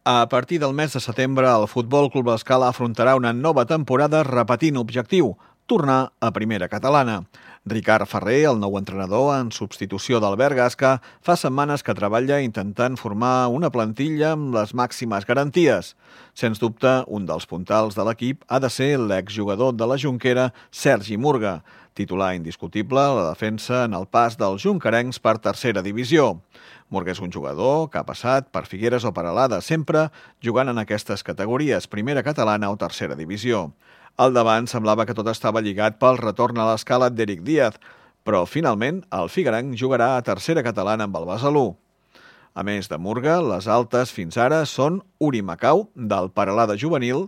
A partir del mes de setembre, el Futbol Club L'Escala afrontarà una nova temporada repetint objectiu, tornar a primera catalana. Ricard Ferrer, el nou entrenador en substitució d'Albert Gasca, fa setmanes que treballa intentant formar una plantilla amb les màximes garanties. Sens dubte, un dels puntals de l'equip ha de ser l'exjugador de la Jonquera, Sergi Murga, titular indiscutible a la defensa en el pas dels jonquerencs per tercera divisió. Murga és un jugador que ha passat per Figueres o per Alada, sempre jugant en aquestes categories, primera catalana o tercera divisió. Al davant semblava que tot estava lligat pel retorn a l'Escala d'Eric Díaz, però finalment el figuerenc jugarà a tercera catalana amb el Besalú. A més de Murga, les altes fins ara són Uri Macau, del Peralada juvenil,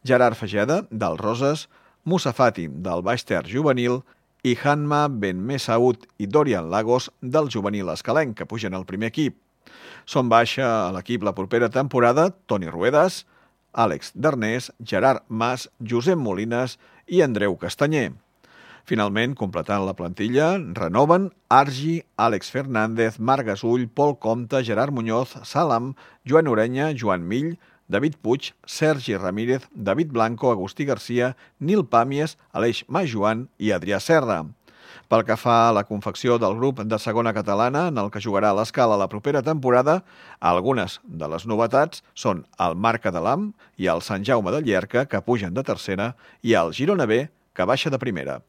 Gerard Fageda, del Roses, Musa Fati, del Baix Ter juvenil, i Hanma Ben Messaoud i Dorian Lagos, del juvenil escalenc, que pugen al primer equip. Són baixa a l'equip la propera temporada Toni Ruedas, Àlex Darnés, Gerard Mas, Josep Molines i Andreu Castanyer. Finalment, completant la plantilla, renoven Argi, Àlex Fernández, Marc Gasull, Pol Comte, Gerard Muñoz, Salam, Joan Orenya, Joan Mill, David Puig, Sergi Ramírez, David Blanco, Agustí Garcia, Nil Pàmies, Aleix Majoan i Adrià Serra. Pel que fa a la confecció del grup de segona catalana, en el que jugarà a l'Escala la propera temporada, algunes de les novetats són el Marc Adalam i el Sant Jaume de Llierca, que pugen de tercera, i el Girona B, que baixa de primera.